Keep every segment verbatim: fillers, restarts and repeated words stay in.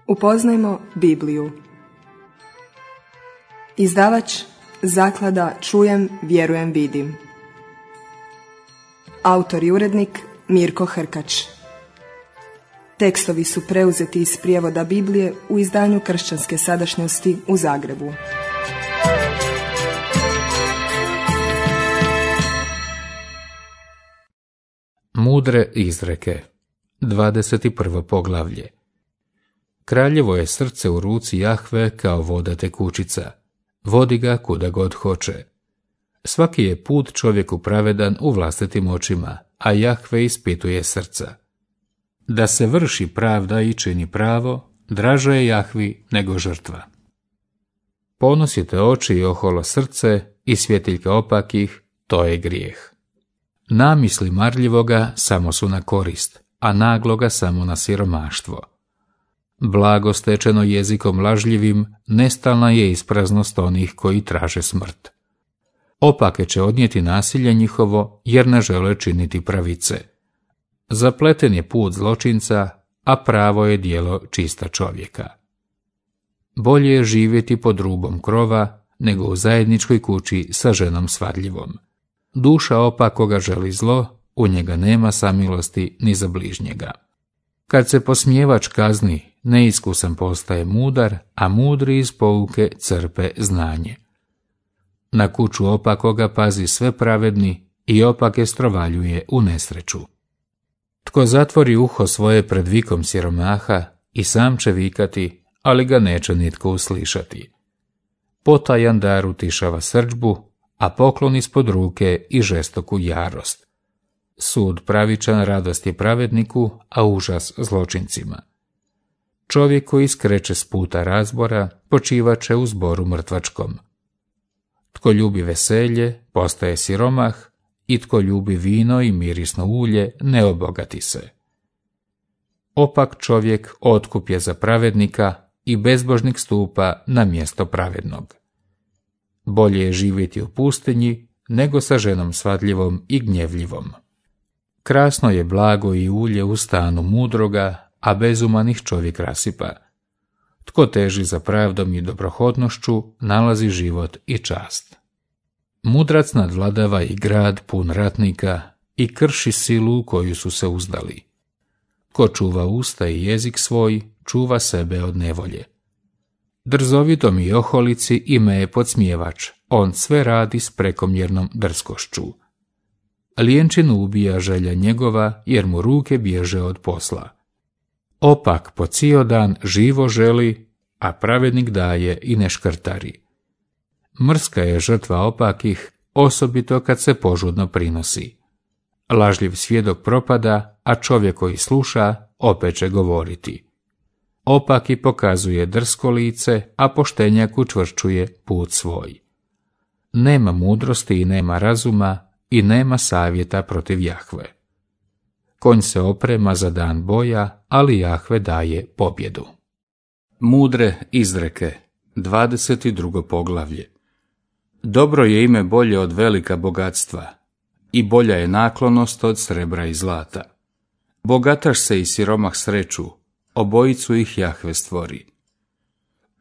Upoznajmo Bibliju. Izdavač Zaklada Čujem, vjerujem, vidim. Autor i urednik Mirko Hrkač. Tekstovi su preuzeti iz prijevoda Biblije u izdanju Kršćanske sadašnjosti u Zagrebu. Mudre izreke. dvadeset prvo poglavlje. Kraljevo je srce u ruci Jahve kao voda tekućica. Vodi ga kuda god hoće. Svaki je put čovjeku pravedan u vlastitim očima, a Jahve ispituje srca. Da se vrši pravda i čini pravo, draže je Jahvi nego žrtva. Ponosite oči i oholo srce i svjetiljke opakih, to je grijeh. Namisli marljivoga samo su na korist, a nagloga samo na siromaštvo. Blago stečeno jezikom lažljivim, nestalna je ispraznost onih koji traže smrt. Opake će odnijeti nasilje njihovo, jer ne žele činiti pravice. Zapleten je put zločinca, a pravo je djelo čista čovjeka. Bolje je živjeti pod rubom krova, nego u zajedničkoj kući sa ženom svadljivom. Duša opakoga želi zlo, u njega nema samilosti ni za bližnjega. Kad se posmijevač kazni, neiskusan postaje mudar, a mudri iz pouke crpe znanje. Na kuću opakoga pazi sve pravedni i opake strovaljuje u nesreću. Tko zatvori uho svoje pred vikom siromaha, i sam će vikati, ali ga neće nitko uslišati. Potajan dar utišava srdžbu, a poklon ispod ruke i žestoku jarost. Sud pravičan radost je pravedniku, a užas zločincima. Čovjek koji skreće s puta razbora, počivat će u zboru mrtvačkom. Tko ljubi veselje, postaje siromah, i tko ljubi vino i mirisno ulje, ne obogati se. Opak čovjek otkup je za pravednika i bezbožnik stupa na mjesto pravednog. Bolje je živjeti u pustinji, nego sa ženom svadljivom i gnjevljivom. Krasno je blago i ulje u stanu mudroga, a bezumanih čovjek rasipa. Tko teži za pravdom i dobrohodnošću, nalazi život i čast. Mudrac nadvladava i grad pun ratnika i krši silu u koju su se uzdali. Ko čuva usta i jezik svoj, čuva sebe od nevolje. Drzovitom i oholici ime je podsmijevač, on sve radi s prekomjernom drskošću. Lijenčinu ubija želja njegova, jer mu ruke bježe od posla. Opak po cijel dan živo želi, a pravednik daje i ne škrtari. Mrska je žrtva opakih, osobito kad se požudno prinosi. Lažljiv svjedok propada, a čovjek koji sluša opet će govoriti. Opaki pokazuje drsko lice, a poštenjak učvršćuje put svoj. Nema mudrosti i nema razuma, i nema savjeta protiv Jahve. Konj se oprema za dan boja, ali Jahve daje pobjedu. Mudre izreke. dvadeset drugo poglavlje. Dobro je ime bolje od velika bogatstva, i bolja je naklonost od srebra i zlata. Bogataš se i siromah sreću, obojicu ih Jahve stvori.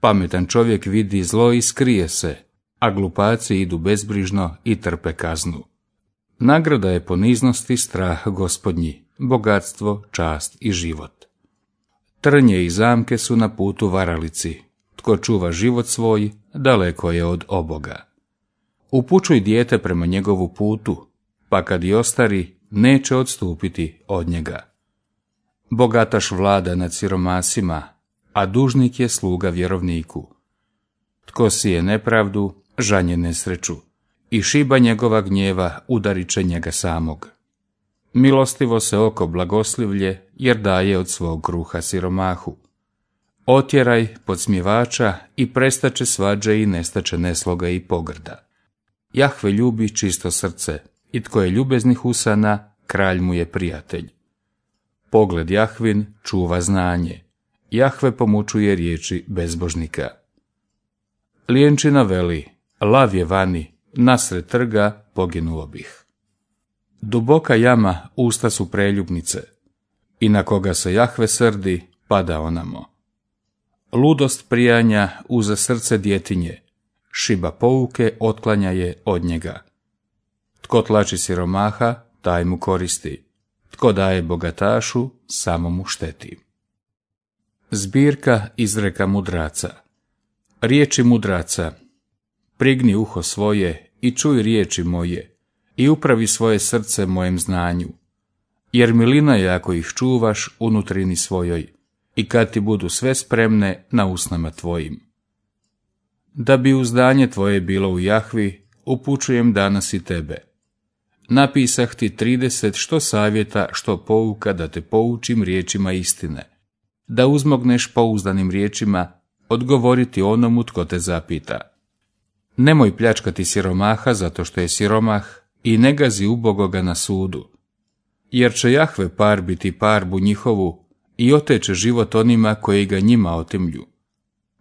Pametan čovjek vidi zlo i skrije se, a glupaci idu bezbrižno i trpe kaznu. Nagrada je poniznosti strah Gospodnji, bogatstvo, čast i život. Trnje i zamke su na putu varalici, tko čuva život svoj, daleko je od oboga. Upućuj dijete prema njegovu putu, pa kad i ostari, neće odstupiti od njega. Bogataš vlada nad siromasima, a dužnik je sluga vjerovniku. Tko sije nepravdu, žanje nesreću, i šiba njegova gnjeva udarit će njega samog. Milostivo se oko blagoslivlje, jer daje od svog kruha siromahu. Otjeraj podsmjevača i prestaće svađe i nestaće nesloga i pogrda. Jahve ljubi čisto srce, i tko je ljubeznih usana, kralj mu je prijatelj. Pogled Jahvin čuva znanje, Jahve pomučuje riječi bezbožnika. Lijenčina veli, lav je vani, nasred trga poginuo bih. Duboka jama usta su preljubnice, i na koga se Jahve srdi, pada onamo. ludost prijanja uza srce djetinje, šiba pouke otklanja je od njega. Tko tlači siromaha, taj mu koristi. Tko daje bogatašu, samo mu šteti. Zbirka izreka mudraca. Riječi mudraca. Prigni uho svoje i čuj riječi moje i upravi svoje srce mojem znanju. Jer milina je ako ih čuvaš u nutrini svojoj i kad ti budu sve spremne na usnama tvojim. Da bi uzdanje tvoje bilo u Jahvi, upućujem danas i tebe. Napisah ti trideset što savjeta, što pouka da te poučim riječima istine, da uzmogneš pouzdanim riječima odgovoriti onomu tko te zapita. Nemoj pljačkati siromaha zato što je siromah i ne gazi ubogoga na sudu, jer će Jahve parbiti parbu njihovu i oteće život onima koji ga njima otimlju.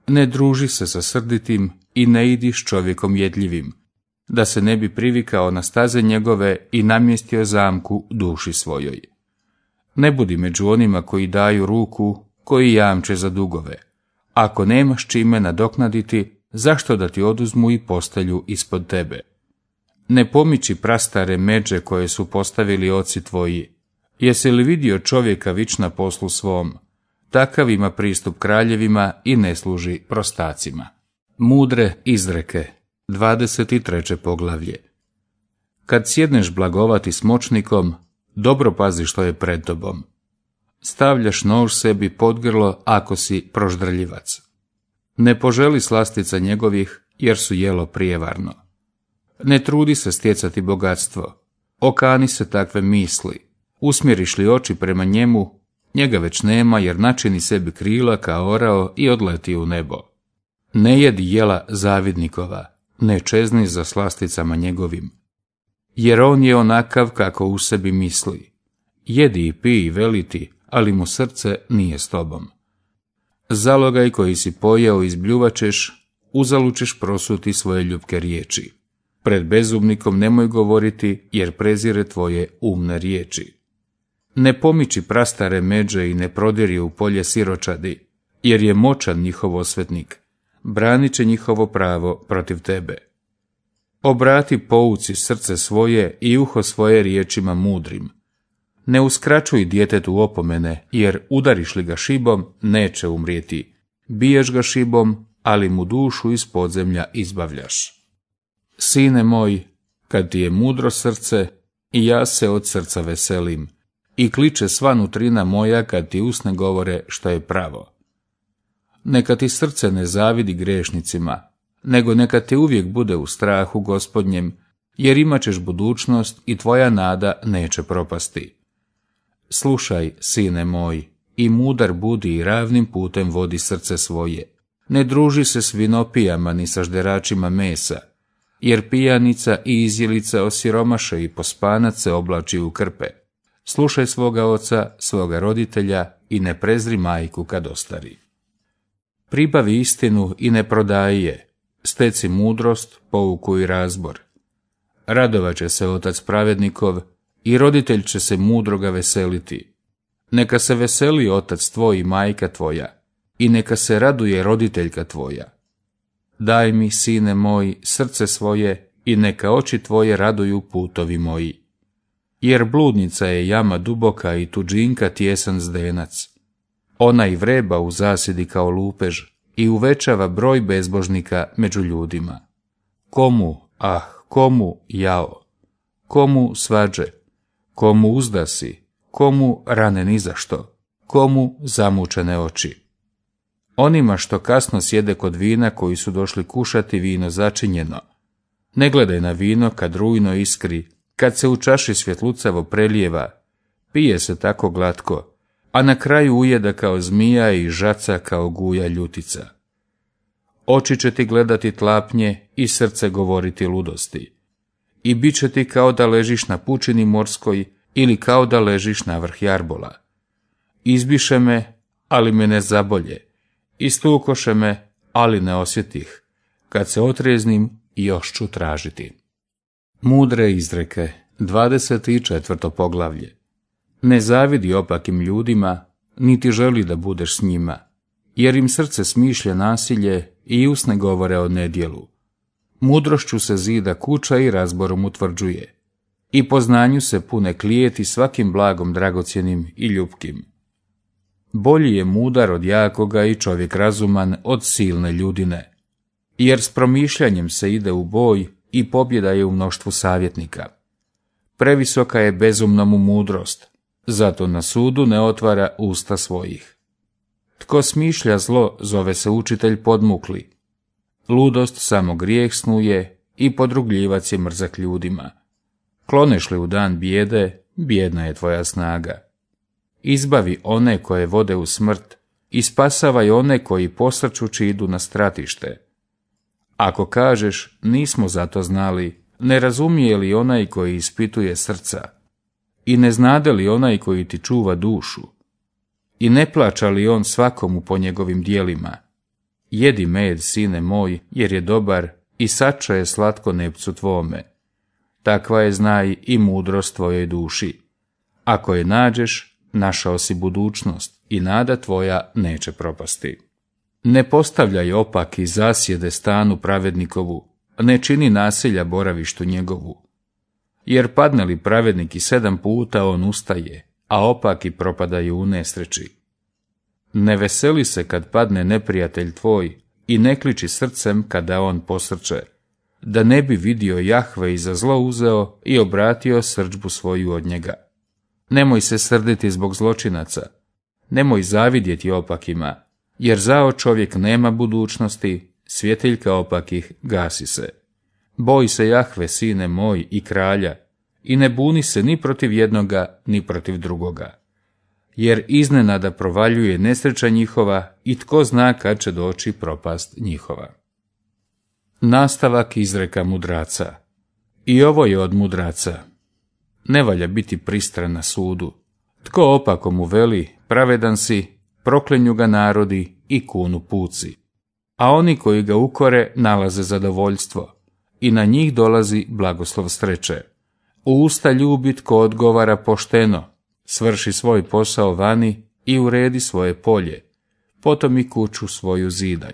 Ne druži se sa srditim i ne idi s čovjekom jedljivim, da se ne bi privikao na staze njegove i namjestio zamku duši svojoj. Ne budi među onima koji daju ruku, koji jamče za dugove. Ako nemaš čime nadoknaditi, zašto da ti oduzmu i postelju ispod tebe? Ne pomiči prastare međe koje su postavili oci tvoji. Jesi li vidio čovjeka vič na poslu svom? Takav ima pristup kraljevima i ne služi prostacima. Mudre izreke. dvadeset treće poglavlje. Kad sjedneš blagovati s moćnikom, dobro pazi što je pred tobom. Stavljaš nož sebi pod grlo ako si proždrljivac. Ne poželi slastica njegovih, jer su jelo prijevarno. Ne trudi se stjecati bogatstvo. Okani se takve misli. Usmjeriš li oči prema njemu, njega već nema, jer načini sebi krila kao orao i odleti u nebo. Ne jedi jela zavidnikova, ne čezni za slasticama njegovim, jer on je onakav kako u sebi misli. Jedi i pij i veliti, ali mu srce nije s tobom. Zalogaj koji si pojeo izbljuvačeš, uzalud ćeš prosuti svoje ljubke riječi. Pred bezumnikom nemoj govoriti, jer prezire tvoje umne riječi. Ne pomiči prastare međe i ne prodiri u polje siročadi, jer je moćan njihov osvetnik. Branit će njihovo pravo protiv tebe. Obrati pouci srce svoje i uho svoje riječima mudrim. Ne uskraćuj djetetu opomene, jer udariš li ga šibom, neće umrijeti. Biješ ga šibom, ali mu dušu iz podzemlja izbavljaš. Sine moj, kad ti je mudro srce, i ja se od srca veselim, i kliče sva nutrina moja kad ti usne govore što je pravo. Neka ti srce ne zavidi grešnicima, nego neka te uvijek bude u strahu Gospodnjem, jer imat ćeš budućnost i tvoja nada neće propasti. Slušaj, sine moj, i mudar budi i ravnim putem vodi srce svoje. Ne druži se s vinopijama ni sa žderačima mesa, jer pijanica i izjelica osiromaše i pospanac se oblači u krpe. Slušaj svoga oca, svoga roditelja i ne prezri majku kad ostari. Pribavi istinu i ne prodaji je, steci mudrost, pouku i razbor. Radovat će se otac pravednikov i roditelj će se mudroga veseliti. Neka se veseli otac tvoj i majka tvoja, i neka se raduje roditeljka tvoja. Daj mi, sine moj, srce svoje i neka oči tvoje raduju putovi moji. Jer bludnica je jama duboka i tuđinka tjesan zdenac. Ona i vreba u zasjedi kao lupež i uvećava broj bezbožnika među ljudima. Komu, ah, komu jao? Komu svađe? Komu uzdasi? Komu rane nizašto? Komu zamučene oči? Onima što kasno sjede kod vina koji su došli kušati vino začinjeno. Ne gledaj na vino kad rujno iskri, kad se u čaši svjetlucavo prelijeva, pije se tako glatko, a na kraju ujeda kao zmija i žaca kao guja ljutica. Oči će ti gledati tlapnje i srce govoriti ludosti. I bit će ti kao da ležiš na pučini morskoj ili kao da ležiš na vrh jarbola. Izbiše me, ali me ne zabolje. Istukoše me, ali ne osjetih. Kad se otreznim, još ću tražiti. Mudre izreke, dvadeset četvrto poglavlje. Ne zavidi opakim ljudima, niti želi da budeš s njima, jer im srce smišlja nasilje i usne govore o nedjelu. Mudrošću se zida kuća i razborom utvrđuje, i po znanju se pune klijeti svakim blagom dragocjenim i ljupkim. Bolji je mudar od jakoga i čovjek razuman od silne ljudine, jer s promišljanjem se ide u boj i pobjeda je u mnoštvu savjetnika. Previsoka je bezumnomu mudrost, zato na sudu ne otvara usta svojih. Tko smišlja zlo, zove se učitelj podmukli. Ludost samo grijeh snuje i podrugljivac je mrzak ljudima. Kloneš li u dan bijede, bijedna je tvoja snaga. Izbavi one koje vode u smrt i spasavaj one koji posrčući idu na stratište. Ako kažeš, nismo zato znali, ne razumije li onaj koji ispituje srca? I ne znade li onaj koji ti čuva dušu? I ne plaća li on svakomu po njegovim dijelima? Jedi med, sine moj, jer je dobar, i sača je slatko nepcu tvome. Takva je, znaj, i mudrost tvojoj duši. Ako je nađeš, našao si budućnost i nada tvoja neće propasti. Ne postavljaj opaki zasjede stanu pravednikovu, ne čini nasilja boravištu njegovu. Jer padne li pravednik i sedam puta, on ustaje, a opaki propadaju u nesreći. Ne veseli se kad padne neprijatelj tvoj i ne kliči srcem kada on posrče, da ne bi vidio Jahve i za zlo uzeo i obratio srdžbu svoju od njega. Nemoj se srditi zbog zločinaca, nemoj zavidjeti opakima, jer zao čovjek nema budućnosti, svjetiljka opakih gasi se. Boj se Jahve, sine moj, i kralja, i ne buni se ni protiv jednoga, ni protiv drugoga. Jer iznenada provaljuje nesreća njihova i tko zna kad će doći propast njihova. Nastavak izreka mudraca. I ovo je od mudraca. Ne valja biti pristran na sudu. Tko opako mu veli, pravedan si, proklenju ga narodi i kunu puci. A oni koji ga ukore nalaze zadovoljstvo i na njih dolazi blagoslov sreće. U usta ljubi tko odgovara pošteno, svrši svoj posao vani i uredi svoje polje, potom i kuću svoju zidaj.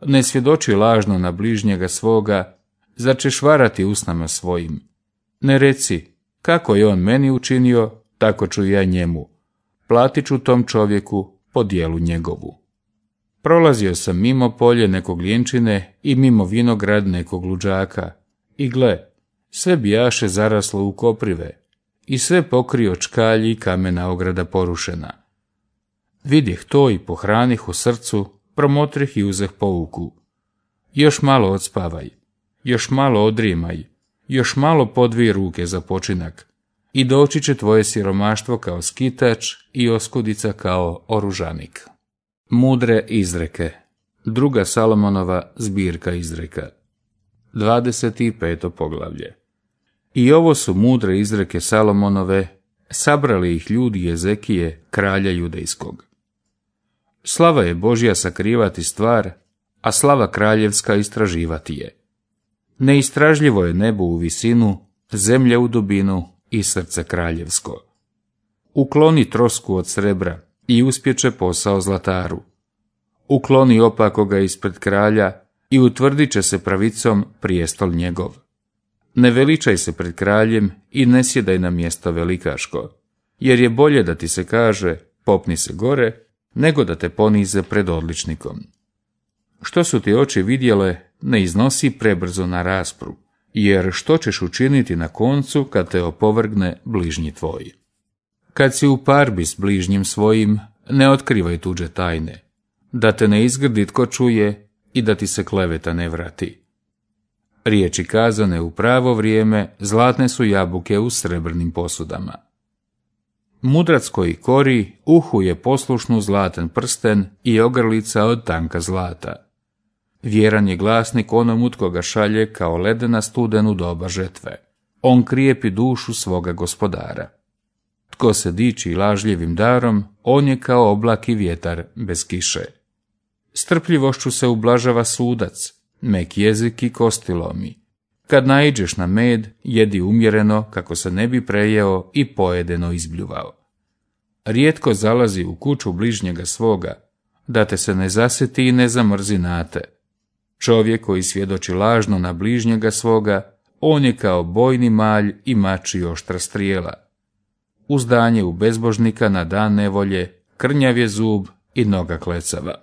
Ne svjedoči lažno na bližnjega svoga, zar ćeš varati usnama svojim. Ne reci, kako je on meni učinio, tako ću ja njemu. Platit ću tom čovjeku po dijelu njegovu. Prolazio sam mimo polje nekog ljenčine i mimo vinograd nekog luđaka, i gle, sve bijaše zaraslo u koprive, i sve pokrio čkalji i kamena ograda porušena. Vidjeh to i pohranih u srcu, promotrih i uzeh pouku. Još malo odspavaj, još malo odrimaj, još malo podvij ruke za počinak, i doći će tvoje siromaštvo kao skitač i oskudica kao oružanik. Mudre izreke. Druga Salomonova zbirka izreka. dvadeset peto poglavlje. I ovo su mudre izreke Salomonove, sabrali ih ljudi Jezekije, kralja judejskog. Slava je Božja sakrivati stvar, a slava kraljevska istraživati je. Neistražljivo je nebo u visinu, zemlja u dubinu i srce kraljevsko. Ukloni trosku od srebra i uspječe posao zlataru. Ukloni opakoga ispred kralja i utvrdit će se pravicom prijestol njegov. Ne veličaj se pred kraljem i ne sjedaj na mjesto velikaško, jer je bolje da ti se kaže popni se gore, nego da te ponize pred odličnikom. Što su ti oči vidjele, ne iznosi prebrzo na raspru, jer što ćeš učiniti na koncu kad te opovrgne bližnji tvoj. Kad si u parbi s bližnjim svojim, ne otkrivaj tuđe tajne, da te ne izgrdi tko čuje i da ti se kleveta ne vrati. Riječi kazane u pravo vrijeme, zlatne su jabuke u srebrnim posudama. Mudrac koji kori, uhu je poslušnu zlatan prsten i ogrlica od tanka zlata. Vjeran je glasnik onomu tko ga šalje kao ledena studen u doba žetve. On krijepi dušu svoga gospodara. Tko se diči lažljivim darom, on je kao oblak i vjetar bez kiše. Strpljivošću se ublažava sudac, mek jezik i kosti lomi. Kad naiđeš na med, jedi umjereno kako se ne bi prejeo i pojedeno izbljuvao. Rijetko zalazi u kuću bližnjega svoga, da te se ne zasjeti i ne zamrzi nate. Čovjek koji svjedoči lažno na bližnjega svoga, on je kao bojni malj i mač i oštra strijela. Uzdanje u bezbožnika na dan nevolje, krnjav je zub i noga klecava.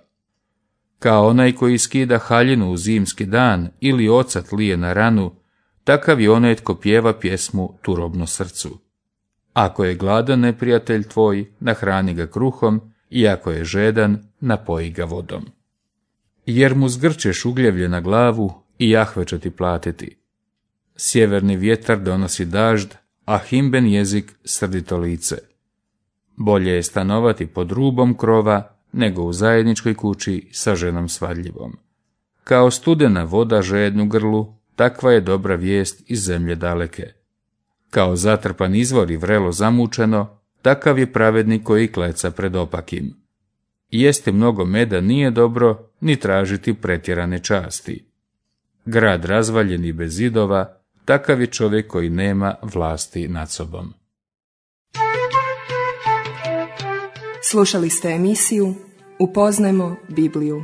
Kao onaj koji skida haljinu u zimski dan ili ocat lije na ranu, takav je onaj tko pjeva pjesmu turobno srcu. Ako je gladan neprijatelj tvoj, nahrani ga kruhom, i ako je žedan, napoji ga vodom. Jer mu zgrčeš ugljevlje na glavu i Jahve će ti platiti. Sjeverni vjetar donosi dažd, a himben jezik srdito lice. Bolje je stanovati pod rubom krova, nego u zajedničkoj kući sa ženom svadljivom. Kao studena voda žednu grlu, takva je dobra vijest iz zemlje daleke. Kao zatrpan izvor i vrelo zamučeno, takav je pravednik koji kleca pred opakim. Jesti mnogo meda nije dobro, ni tražiti pretjerane časti. Grad razvaljen i bez zidova, takav je čovjek koji nema vlasti nad sobom. Slušali ste emisiju Upoznajmo Bibliju.